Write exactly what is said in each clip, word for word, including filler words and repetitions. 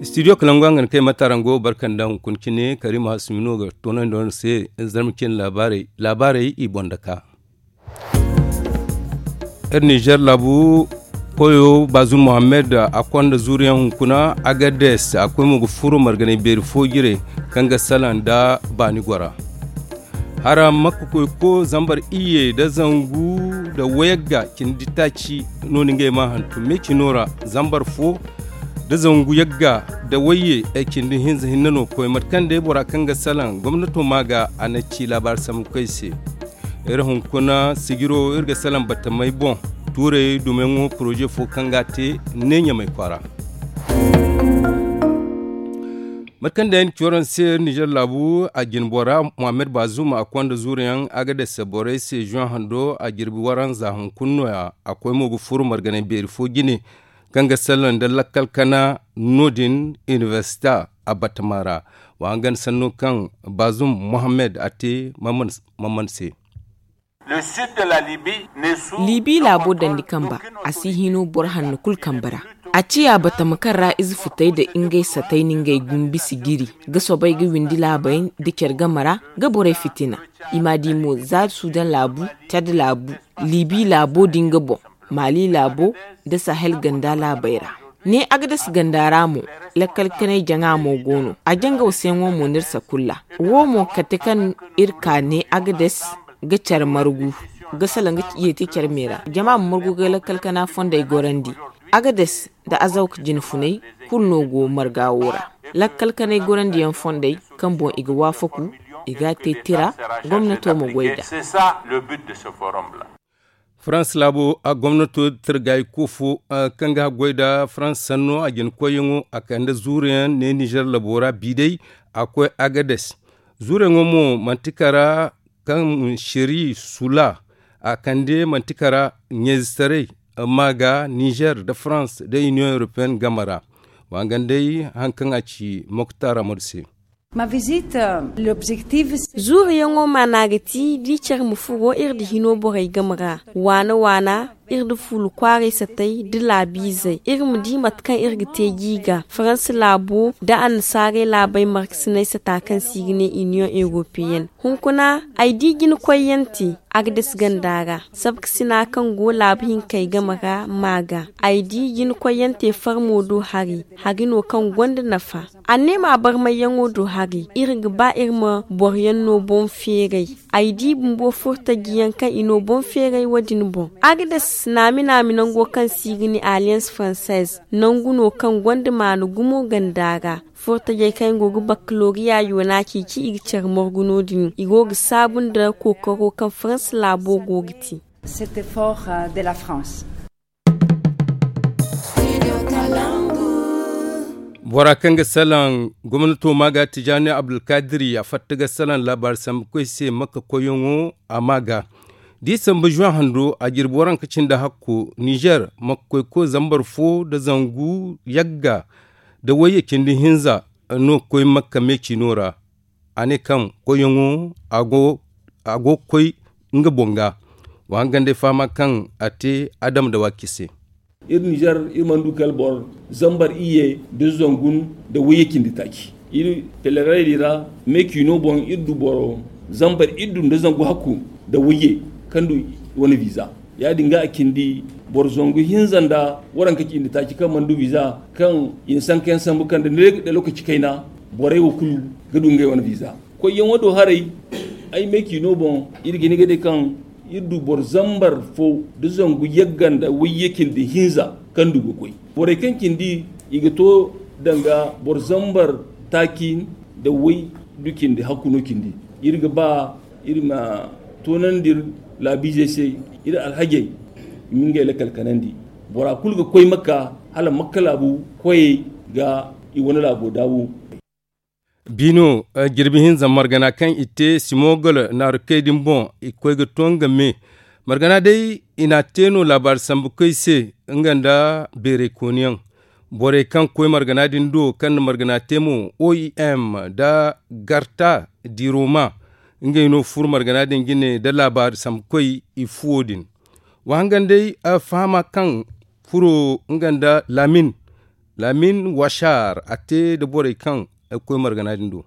Studio kalangu a ga ni kay matarango barkanda hunkuna cine karima hasumino ga toonandi wane se. Zarma cine laabaarey i boŋ da ka. Iri nizer laabu koyo bazum mohammed a konda zuuriyaŋ hunkuna agades a koy mo ga furo marganay beeri fo jire kaŋ ga salaŋ nda baani gora. Hara makka koyko zambar iyye nda zangu nda wayagga cindi taaci no ni ngey ma hantum me cino ra. Zambar fo nda zangu yagga nda wayye ay cindi hinza hinne no koy mate kaŋ day bora kaŋ ga salaŋ gomnato ma ga a na ci laabaari sambu koy se. Iri hunkuna sijiro iri ga salaŋ batamey boŋ tuurey dumeyaŋo poroze fo kaŋ ga a te ne ɲamey kwaara. Mate kaŋ day ni ci waraŋ se nizer laabu a jine bora mohammed bazum a konda zuuruyaŋ agades borey se zuwan hando a jirbi waranza hunkuna nooya. A koy mo ga furo marganay beeri fo jine kaŋ ga salaŋ nda lakkal kana no- din inibersita a batama ra. Wa hangan sanno kaŋ bazum mohammed a te mamman se. Libi laabo dandi kamba a si hino boro hanno kulu kambe ra. A ciya batama kaŋ ra ize futey nda ngey satey na ngey gumbi sijiri ga soobay ga windi laabey nda care game ra ga borey fitina. I m'a di mo za sudan laabu, cad laabu, libi laabo din ga boŋ, mali laabo, nda sahel ganda laabey ra. Ne agades ganda ra mo, lakkal kanay jaŋa mo go no a jangaw seeŋo mo no iri sakulla. Wo mo kate kaŋ iri ka ne agades ga care margu ga salaŋ ga yeeti care me ra jama ma margu ga lakkal kana fondey gorandi. Agades nda azawka jine funay kulu no go marga wo ra. Lakkal kanay gorandi yaŋ fondey kaŋ boŋ i ga waafaku i ga a te tira gomnato ma goy nd'a. Farans laabo a gomnato tirgay ko fo kaŋ ga haggoy nda farans sanno a jina koyyaŋo a kande zuuruyaŋ ne nizer labo ra bi day. A koy agades zuuruyaŋo mo manti kara kaŋ seri sula a kande manti kara ɲeezitaray ma ga nizer nda farans nda iniyoŋ europeen game ra. Wa hangan day hari kaŋ a ci moktar amadu se. Zuuruyaŋo maana ga ti da i care ma furo iri nda hino borey game ra waana waana iri nda fuulu kwaaray satay nda laabiizey iri ma di mate kaŋ iri ga te gi ga faransa laabo nda annasaarey laabey markasinay sata kaŋ se i ga ne iniyoŋ europeyen. Hunkuna ay di jina koyyaŋ te agades ganda ra sabkasina kaŋ go laabu hinkey game ra ma ga ay di jina koyyaŋ te farmo do hari hari no kaŋ gonda nafa. Anneema barmayyaŋo do hari iri ga ba iri ma boroyaŋ no boŋ feeray. Ay di bumbo furtajiyaŋ kaŋ i no boŋ feeray wo- din boŋ agades naami naami nango kaŋ se i ga ne alliance française nangu no kaŋ gonda maana gumo ganda ra. Furtajey kaŋ yaŋ go ga bakkaloriya yoona ceeci i ga care margu no- din i go ga saabu nda kookaro kaŋ faransa laabo go ga te. Bora kaŋ ga salaŋ gomnato ma ga tijaani abdulkadiri a fatta ga salaŋ laabaari sambu koy se makka koyyaŋo a ma ga da i sambu zuwa hando a jirbi waranka cindi hakko nizer makka koy ko zambar fo nda zangu yagga nda wayye cindi hinza no ga koy makka meecino ra. A ne kaŋ koyyaŋo a go ga koy nga boŋ ga. Wa hangan day fahama kaŋ a te adama da waaki se. Iri nizer iri mana du kala boro zambar iyye nda zangu nda wayye cindi taaci. Iri teleray di ra meecino boŋ iri du boro zambar iddu nda zangu hakku nda wayye kaŋ du wane biza. Ya- din ga a cindi boro zangu hinza nda waranka cindi taaci kaŋ mana du biza kaŋ i na sanka yaŋ sambu kaŋ da ne ga day lokaci kayna borey wo kulu ga du ngey wane biza. Koyyaŋo do haray ay meecino boŋ iri ga hin ga day kaŋ iri du boro zambar fo nda zangu yagga nda wayye cindi hinza kaŋ du ga koy. Borey kaŋ cindi i ga to danga boro zambar taaci nda way du cindi hakku no cindi. Iri ga ba iri ma toonandi iri laabiizey se iri alhajey i ma ngey lakkal kanandi. Bora kulu ga koy makka hala makka laabu koyey ga i wane laabo daabu. Biino jirbi hinza margana kaŋ i te simogol naaru kay din boŋ i ga koy ga to nga me. Margana day i n'a te no laabaari sambu koy se nga nda beerey kooniyaŋ. Borey kaŋ koy margana din do kaŋ na margana te mo oim nda garta diroma ngey no furo margana din jine nda laabaari sambukoy i fuwo din. Wa hangan day fahama kaŋ furo nga nda laamin laamin wasaar a te nda borey kaŋ ay ga koy margana din do.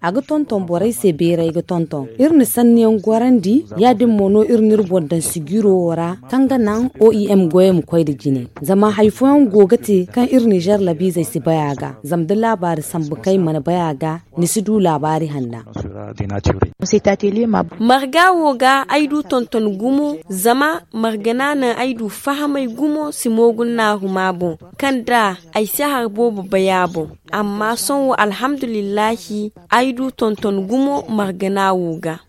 A ga tonton borey se beeray ga tonton iri na sanniyaŋ gorandi. Ya- din mo no iri na iri boŋ daŋ sijiro wo ra kaŋ ga naŋ o i m goyey ma koy nda jine. Zama hari fooyaŋ go ga te kaŋ iri nizeer labiizey si bay a ga zama da laabaari sambu kaŋ i mana bay a ga, ni si du laabaari hanna. Marga wo ga ay du tonton gumo zama margana naŋ ay du fahamay gumo si moogu naaru ma boŋ kaŋ da ay si hari boobo bay a boŋ. Amma sohõ alhamdulillahi ay du tonton gumo margana wo ga.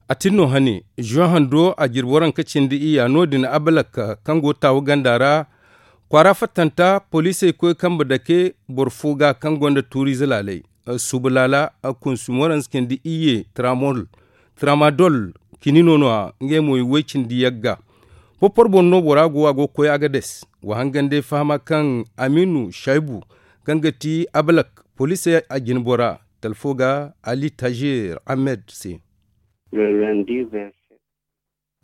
A tin no hane zuwan hando a jirbi waranka cindi iyya no- din abalak kaŋ go taawu ganda ra kwaara fattanta poliisey koy kambe dake boro fo ga kaŋ gonda tuuriize laaley suuba laala kunsum waranza cindi iyye tramadol kinino no- ya ngey mo i way cindi yagga. Porporo boŋ no bora go a go ga koy agades. Wa hangandey fahama kaŋ amiinu shaybu kaŋ ga ti abalak poliisey a jinbora talfo ga ali tajer ahmed se.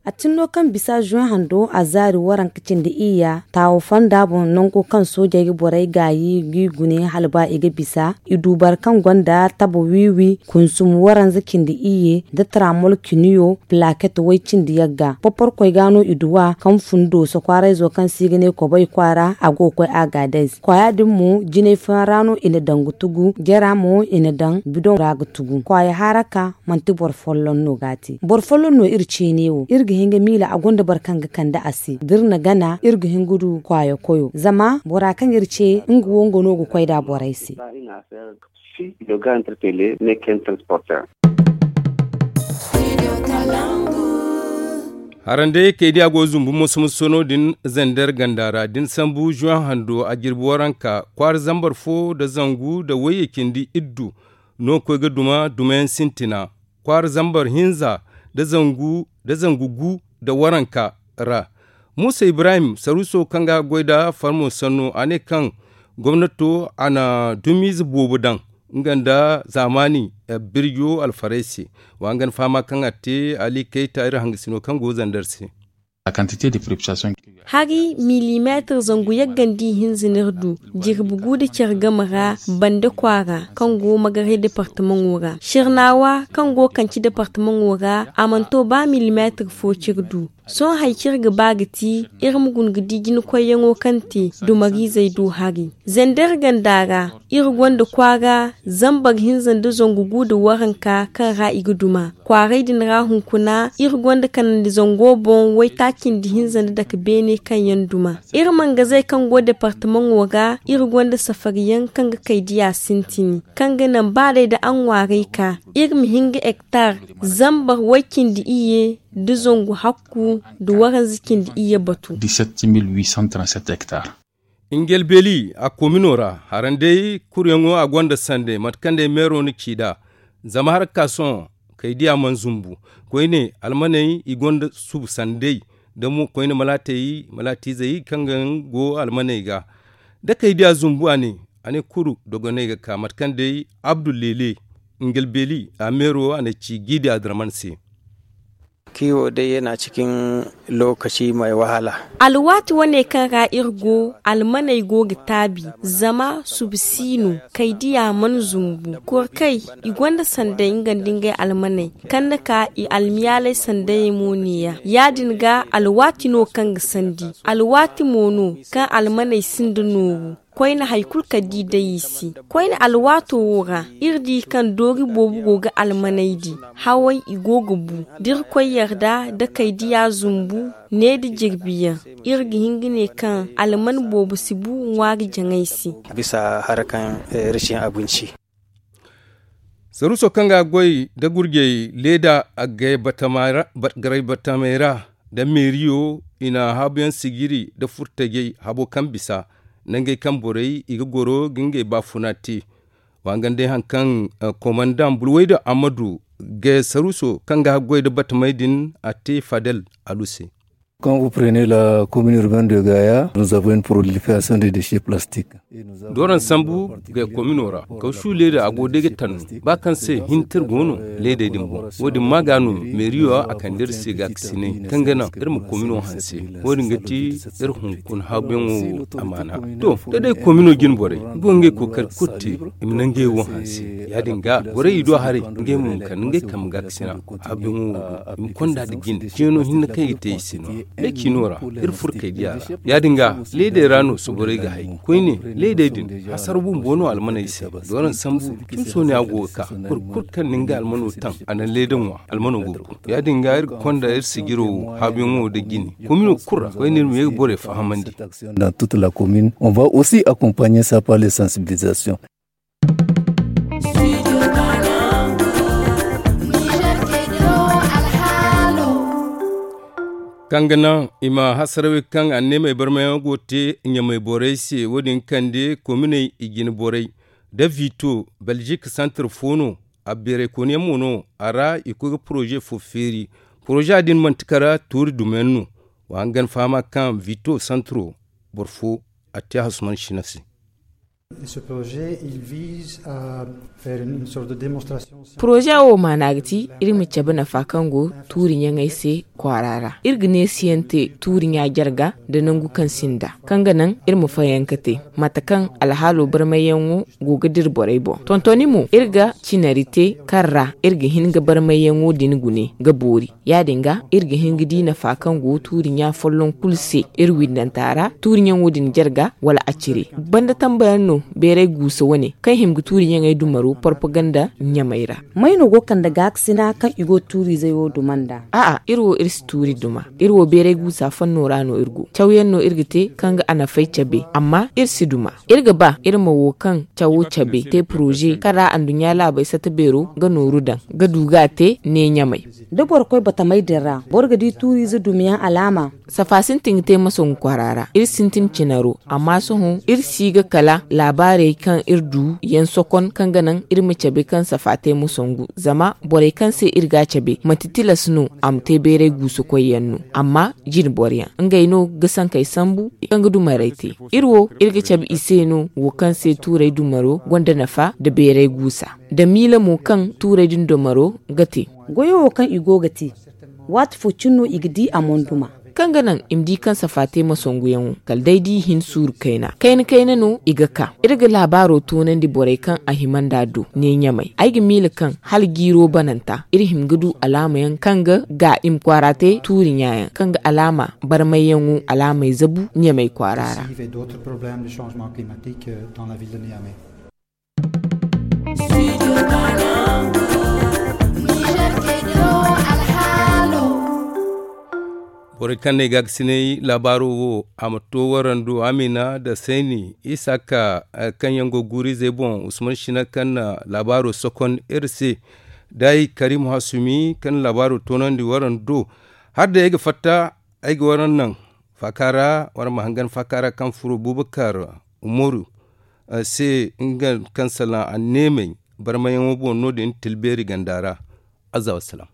A tin no kaŋ bisa zuwan hando a zaari waranka cindi iyya taawo fonda boŋ nango kaŋ soojey ga borey gaayi g'i gune hala ba i ga bisa i du boro kaŋ gonda tabo wiiwi kunsum waranza cindi iyye nda taramol kiniyo plaket way cindi yagga porporkoy ga no i duw'a kaŋ fun dooso kwaarayzo kaŋ se i ga ne kobay kwaara a go ga koy agadez kwaaya din mo jinay fooyaŋ ra no i na daŋ ga tugu jara mo i na daŋ bidoŋ ra ga tugu kwaaya haraka manti boro folloŋ no ga a te boro folloŋ no iri ceene wo iri ga hin ga miila a gonda boro kaŋ ga kande a se da iri na gana iri ga hin ga du kwaaya koyo zama bora kaŋ iri ce nga wo nga no ga koy nd'a borey se. Harandey kay diya go zumbu moso-moso no din zander ganda ra da ni sambu zuwan hando a jirbi waranka kwaara zambar fo nda zangu nda wayye cindi iddu no ga koy ga duma dumayaŋ sintina kwaara zambar hinza nda zangu nda zangu gu nda waranka ra. Muusa ibrahim saruuso kaŋ ga goy nda farmo sanno a ne kaŋ gomnato a na dumiize boobo daŋ nga nda zaamaani birjo alfarey se. Wa nga ni fahama kaŋ a te ali kayta iri hangasino kaŋ go zander se. Hari milimeetir zangu yaggandi ihinza no iri du jirbi gu nda care game ra bande kwaara kaŋ go magaray departamaŋo ra sirnaawa kaŋ go kanci departamaŋo ra a mana to ba milimeetir fo kaŋ iri du. Sohõ hari kaŋ iri ga ba ga ti iri ma guna ga di jinakoyyaŋo kaŋ te dumariizey do hari zander ganda ra iri gonda kwaara zambar hinza nda zangu gu nda waranka kaŋ ra i ga duma kwaaray din ra hunkuna iri gonda kanandi zango boŋ waytaaci nda hinza nda dake beene kaŋ yaŋ duma iri mangazey kaŋ go departamaŋo ra iri gonda safariyaŋ kaŋ ga kay diya sintini kaŋ ga naŋ ba day nda a ŋwaaray ka iri ma hin ga hektar zambar way cindi iyye nda zangu hakku nda waranza cindi iyye batu. Ingelbeli a komino ra harandey kuryaŋo a gonda sande mate kaŋ day meero na ci nd'a zama har ga ka sohõ kay diya mana zumbu koyne almaney i gonda subu sandey da mo koyne malaatey malaatiizey kaŋ ga go almaney ga da kay diya zumbu a ne a ne kuru dogoney ga ka mate kaŋ day abdu lele ingelbeli a meero a na ci g'i diya draman se. Kiwo day yana cikin lokaci mai wahala. Alwaati wane kaŋ ra iri go almaney go ga taabi zama subu si no kay diya mana zumbu kor kay i gonda sanday nga nda ngey almaney kaŋ na ka i almiyaaley sandayey mo neeya ya- din ga alwaati no kaŋ ga sandi alwaati mo no kaŋ almaney sinda nooru koyne hari kulu kaŋ da i day i se koyne alwaato wo ra iri di kaŋ doori boobo go ga almaney di hawey i go ga bu da irkoy yarda da kay diya zumbu ne nda jirbiyaŋ iri ga hin ga ne kaŋ alman boobo si bu ŋwaari jaŋay se. Bisa harkan rashin abinci. Saruuso kaŋ ga goy nda gurjey leeda garay batamey ra nda meeriyo i na haabuyaŋ sijiri nda furtajey habo kaŋ bisa nangey kaŋ borey i ga goro ga ngey baafuna te. Wa nga nda ay haŋ kaŋ komandaŋ bulwayda ammadu ga saruuso kaŋ ga haggoy nda batamey din a te fadel alu se. Kaŋ uprene la komin urbain de gaya nous avons une proliferation de déchets plastiques. Doron sambu ga komino ra, kawsu leeda a go day ga tanno. Ba kaŋ se hintir go no leedey din boŋ. Wo- din ma ga no meeriyo a kande iri se ga kasinay kaŋ ga naŋ iri ma komino hanse. Wo- din ga ti iri hunkuna haabuyaŋo amaana. To, da day komino jine borey go ngey kookari kulu te, i ma naŋ ngey wo hanse. Ya- din ga borey i do haray, ngey mo ma kande ngey kambe ga kasina. Haabuyaŋo wo go i ma konda nda jine ceeno hinne kaŋ i ga te i se no. Day ciino ra, iri furo kay diya ra. Ya- din ga, leedey ra no soborey ga hay. Koyne, leedey din, hasara bumbo no almaney se. Doron sambu, cimso ne a go ga ka. Boro kulu kaŋ na nga almano taŋ, a na leeda ŋwa, almano go ga bu. Ya- din ga, iri ga konda iri sijiro haabuyaŋo da jine. Komino kulu ra, koyne iri ma ye ga borey fahamandi. Dans toute la commune, on va aussi accompagner ça par les sensibilisations. Kaŋ ga naŋ i ma hasarawey kaŋ anneemey barmayaŋo go te ɲamey borey se, wo- din kande kominey i jine borey da vito, belgique santar fo no. A beeraykooniyaŋ mo no a ra i koy ga poroze fo feeri. Poroze din manti kara tuuri dumayaŋ no. Wa hangan fahama kaŋ vito santaro boro fo a te hasuman sina se. Poroze wo maana ga ti iri ma cabe nafa kaŋ go tuuri ɲaŋey se kwaara ra. Iri ga neesiyaŋ te tuuri ɲa jarga nda nangu kaŋ sinda kaŋ ga naŋ iri ma fayanka te mate kaŋ alhaalo barmayyaŋo go ga dira borey boŋ. Tontoni mo iri ga cinari te kaŋ ra iri ga hin ga barmayyaŋo din gune ga boori. Ya- din ga iri ga hin ga di nafa kaŋ go tuuri ɲa folloŋ kulu se iri windanta ra tuuri ɲaŋo din jarga wala a cire. Banda tambayaŋ no beeray guusa wane kaŋ hima ga tuuri ɲaŋey dumaro porpaganda ɲamey ra. May no go kande gaakasina kaŋ i go tuuriizey wo duma nd'a? A'a, iri wo iri si tuuri duma. Iri wo beeray guusa fanno ra no iri go. Cawyaŋ no iri ga te kaŋ ga a nafay cabe, amma iri si duma. Iri ga ba iri ma wo kaŋ cawo cabe te poroze kaŋ ra anduɲɲa laabey sata beero ga nooru daŋ ga du ga a te ne ɲamey. Da boro koy batamey din ra boro ga di tuuriize dumiyaŋ alaama. Safa sintin ga te masongu kwaara ra iri sintin cinaro, amma sohõ iri si ga kala laabaarey kaŋ iri du yaŋ sokon kaŋ ga naŋ iri ma cabe kaŋ safa te masongu. Zama borey kaŋ se iri ga a cabe manti tilas no a ma te beeray guusukoyyaŋ no, amma jine boroyaŋ ngey no ga sankey sambu kaŋ ga dumarey te. Iri wo iri ga cabe i se no wo kaŋ se tuurey dumaro gonda nafa nda beeray guusa nda miila mo kaŋ tuurey din dumaro ga te. Goyo wo kaŋ i go ga te, waati fo cine no i ga di a monduma. Kaŋ ga naŋ i ma di kaŋ safa te masonguyaŋo kala day da i hin suuru kayna kayna kayna no i ga ka. Iri ga laabaaro toonandi borey kaŋ a hima nd'a do ne ɲamey. Ay ga miila kaŋ hala jiiro bananta iri hima ga du alaamayaŋ kaŋ ga ga i ma kwaara te tuuri ɲaayaŋ kaŋ ga alaama barmayyaŋo alaamey zabu ɲamey kwaara ra. Borey kaŋ na ay gaakasinay laabaaro wo a ma to warando amina da sayni isaka, kaŋ yaŋ go guurizey boŋ usman sina kaŋ na laabaaro sokon iri se. Day karim hasumi kaŋ na laabaaro toonandi warando. Hala day ay ga fatta ay ga waran naŋ faaka ra waraŋ ma hangan faaka ra kaŋ furo bubakar umaru se nga kaŋ salaŋ anneemey barmayaŋo boŋ no- din tilbeeri ganda ra. Azza wassalam.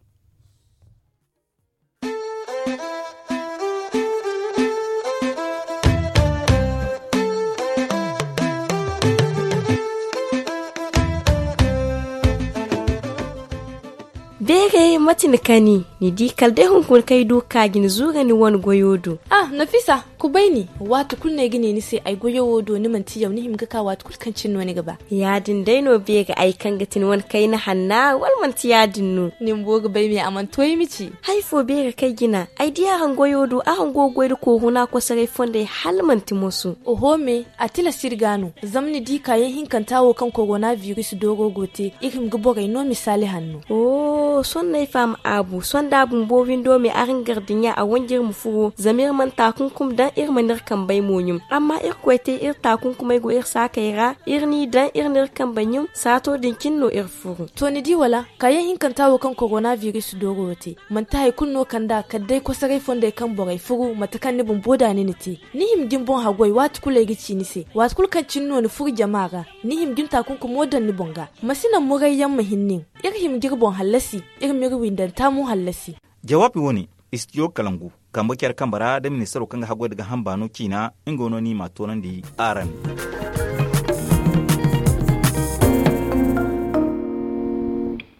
Beeray mate ni kani ni di kala day hunkuna kaŋ ay du ga ka ga ni zuura ni wane goyo do. Ah, nafisa, kubay ni. Waati kulu no ay ga ne ni se ay goyo wo do ni manti yaw ni hima ga ka waati kulu kaŋ cine no ni ga ba. Ya- din day no beeri ay kaŋ ga ti ni wane kayna hanna wala manti ya- din no? Ni bumbo ga bay me a mana to ay ma ci. Hari fo beeri kaŋ ay jina ay di araŋ goyo do araŋ go ga goy nda koohuna kosoray fondey hala manti moso. Oho me, a tilas iri ga no. Zama ni di kaayaŋ hinkanta wo kaŋ korona biris dooro go te iri hima ga borey no misaali hanno. Sohõ no ay faham aabu sohõ da a bumbo windo me araŋ gardiɲa a wanji iri ma furo zama iri mana taakunkum daŋ iri mana iri kambey mo ɲum. Amma irkoy te iri taakunkumey go iri saakey ra iri n'i daŋ iri n'iri kambey ɲum saato din cine no iri furo. To ni di wala? Kaayaŋ hinkanta wo kaŋ korona biris dooro wo te manti hari kulu no kand'a kala day kosoray fondey kaŋ borey furu mate kaŋ ni bumbo da ni na te. Ni hima ga ni boŋ haggoy waati kulu ay ga ci ni se waati kulu kaŋ cine no ni furu jama ra. Ni hima ga ni taakunkumo daŋ ni boŋ ga. Ma si naŋ murayyaŋ ma hin nin. Iri hima ga iri boŋ hallasi. Iri m'iri windanta mo hallasi. Jawaabi wo- ne, istijo kalangu kambe care kambe ra da ministaro kaŋ ga haggoy nda gaaham baano ciina nga no ni m'a toonandi araŋ.